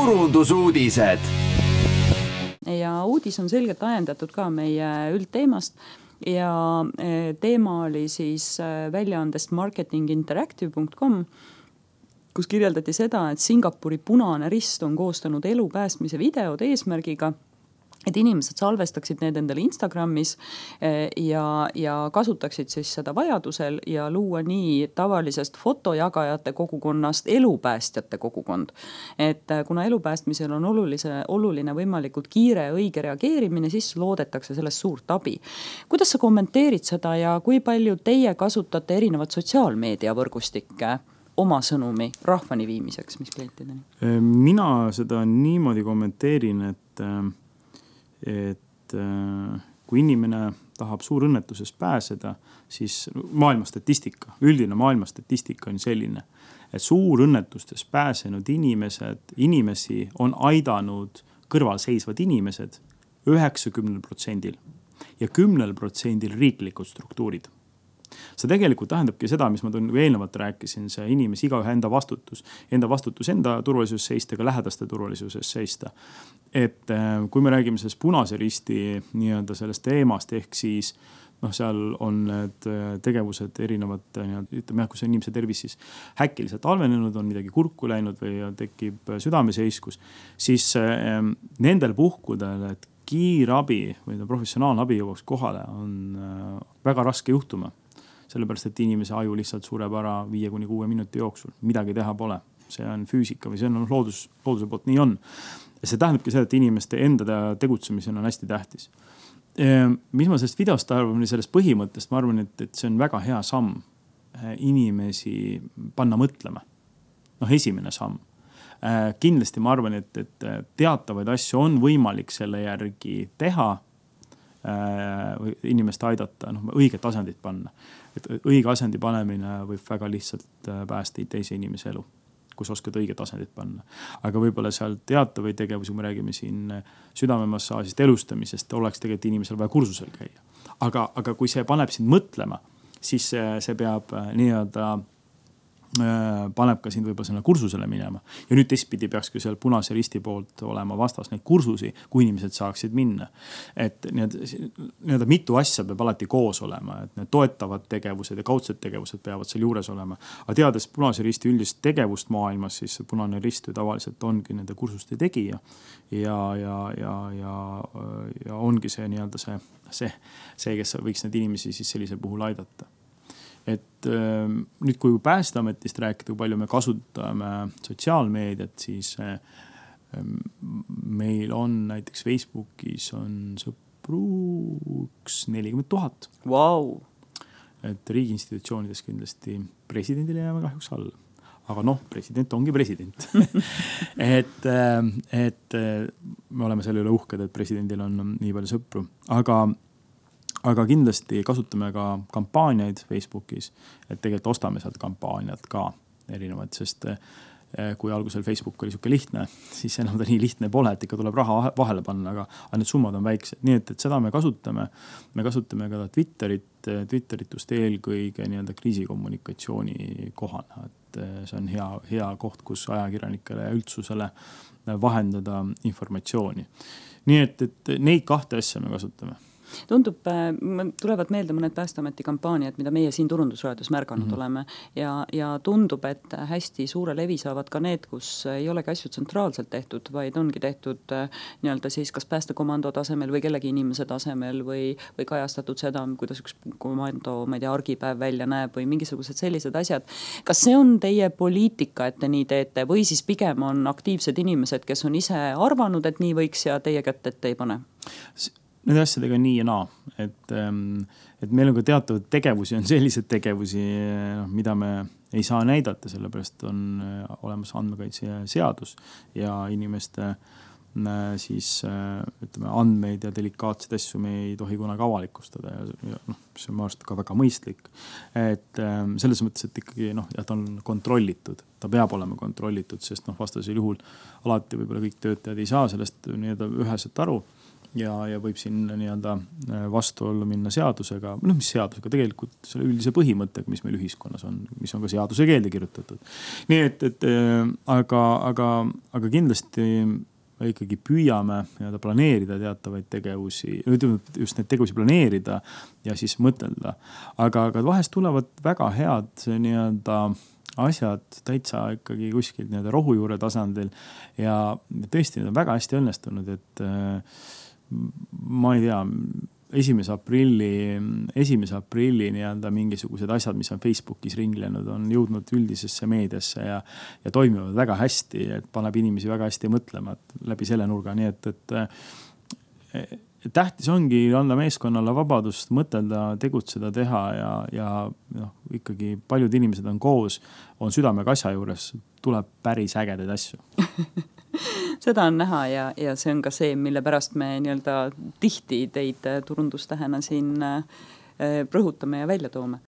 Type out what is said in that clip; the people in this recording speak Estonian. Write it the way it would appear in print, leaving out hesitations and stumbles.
turundusuudised. Ja uudis on selgelt ajendatud ka meie üldteemast ja teema oli siis väljaandest marketinginteractive.com, kus kirjeldati seda, et Singapuri Punane Rist on koostanud elu päästmise videod eesmärgiga, et inimesed salvestaksid need endale Instagramis ja kasutaksid siis seda vajadusel ja luua nii tavalisest fotojagajate kogukonnast elupäästjate kogukond. Et kuna elupäästmisel on oluline võimalikult kiire õige reageerimine, siis loodetakse sellest suurt abi. Kuidas sa kommenteerid seda ja kui palju teie kasutate erinevad sotsiaalmeediavõrgustikke oma sõnumi rahvani viimiseks, mis klientideni? Mina seda niimoodi kommenteerin, et kui inimene tahab suurõnnetusest pääseda, siis üldine maailma statistika on selline, et suurõnnetustest pääsenud inimesi on aidanud kõrvalseisvad inimesed 90% ja 10% riiklikud struktuurid. See tegelikult tähendabki seda, mis ma eelnevalt rääkisin, see inimesi igaühe enda vastutus enda turvalisuses seista, ka lähedaste turvalisuses seista. Et kui me räägime sellest Punase Risti nii-öelda sellest teemast, ehk siis seal on need tegevused erinevad, ütleme, kui see inimese tervis siis häkkiliselt halvenenud, on midagi kurku läinud või tekib südameseiskus, siis nendel puhkudel, et kiirabi või professionaalne abi jõuaks kohale, on väga raske juhtuma. Sellepärast, et inimese aju lihtsalt sureb ära 5-6 minuti jooksul. Midagi teha pole. See on füüsika või see on looduse poolt nii on. Ja see tähendabki seda, et inimeste enda tegutsemisena on hästi tähtis. Mis ma sellest videost arvan, sellest põhimõttest, ma arvan, et see on väga hea samm inimesi panna mõtlema. Esimene samm. Kindlasti ma arvan, et teatavaid asju on võimalik selle järgi teha, inimest aidata, õiget asendit panna. Et õige asendi panemine võib väga lihtsalt päästa teise inimese elu, kus oskad õiget asendit panna. Aga võib-olla seal teatavaid tegevusi, kui me räägime siin südamemasaasist, elustamisest, oleks tegelikult inimesel vaja kursusel käia. Aga kui see paneb sind mõtlema, siis see peab nii-öelda paneb ka sind võib-olla selle kursusele minema. Ja nüüd teistpidi peaks ka seal Punase Risti poolt olema vastas neid kursusi, kui inimesed saaksid minna. Et nii-öelda mitu asja peab alati koos olema, et need toetavad tegevused ja kaudsed tegevused peavad seal juures olema. Aga teades Punase Risti üldist tegevust maailmas, siis Punane Rist ju tavaliselt ongi nende kursuste tegija ja ongi see nii-öelda see, kes võiks need inimesi siis sellisel puhul aidata. Et nüüd kui Päästeametist rääkida, kui palju me kasutame sotsiaalmeediat, siis meil on näiteks Facebookis on sõpru 40 000. Wow. Et riigiinstitutsioonides kindlasti presidendile jääme kahjuks alla. Aga president ongi president. et me oleme selle üle uhked, et presidendil on nii palju sõpru. Aga kindlasti kasutame ka kampaaniaid Facebookis, et tegelikult ostame sealt kampaaniat ka erinevad, sest kui algusel Facebook oli siuke lihtne, siis enam ta nii lihtne pole, et ikka tuleb raha vahele panna, aga need summad on väiksed. Nii et seda me kasutame ka Twitterit just eelkõige nii-öelda kriisikommunikatsiooni kohana. Et see on hea koht, kus ajakirjanikele ja üldsusele vahendada informatsiooni. Nii et neid kahte asja me kasutame. Tulevad meelde mõned Päästeameti kampaaniad, mida meie siin turundusraadios märganud oleme ja tundub, et hästi suure levi saavad ka need, kus ei olegi asju tsentraalselt tehtud, vaid ongi tehtud nii-öelda siis kas päästekomando tasemel või kellegi inimese tasemel või kajastatud seda, kuidas üks komando, argipäev välja näeb või mingisugused sellised asjad. Kas see on teie poliitika, et te nii teete või siis pigem on aktiivsed inimesed, kes on ise arvanud, et nii võiks ja teie kätt ette ei pane? Need asjadega nii ja naa, et meil on ka teatavad tegevusi, on sellised tegevusi, mida me ei saa näidata, sellepärast on olemas andmekaitse seadus ja inimeste siis ütleme, andmeid ja delikaatseid asju me ei tohi kunagi avalikustada ja see on ka väga mõistlik. Et selles mõttes, et ikkagi ta on kontrollitud, ta peab olema kontrollitud, sest vastasel juhul alati võib-olla kõik töötajad ei saa sellest nii-öelda üheselt aru. ja võib siin nii-öelda vastuollu minna seadusega, mis seadusega, tegelikult selle üldise põhimõttega, mis meil ühiskonnas on, mis on ka seaduse keelde kirjutatud. Nii et aga kindlasti ikkagi püüame nii-öelda planeerida teatavaid tegevusi, just neid tegevusi planeerida ja siis mõtelda. Aga vahest tulevad väga head nii-öelda asjad täitsa ikkagi kuskil nii-öelda rohujuure tasandil ja tõesti need on väga hästi õnnestunud, et ma ei tea, 1. aprilli nii-öelda mingisugused asjad, mis on Facebookis ringlenud, on jõudnud üldisesse meediasse ja toimivad väga hästi, et paneb inimesi väga hästi mõtlema läbi selle nurga. Nii et tähtis ongi anda meeskonnale vabadust mõtelda, tegutseda, teha ja ikkagi paljud inimesed on koos, on südamega asja juures, tuleb päris ägedaid asju. Seda on näha ja see on ka see, mille pärast me nii-öelda tihti teid turundustähena siin rõhutame ja välja toome.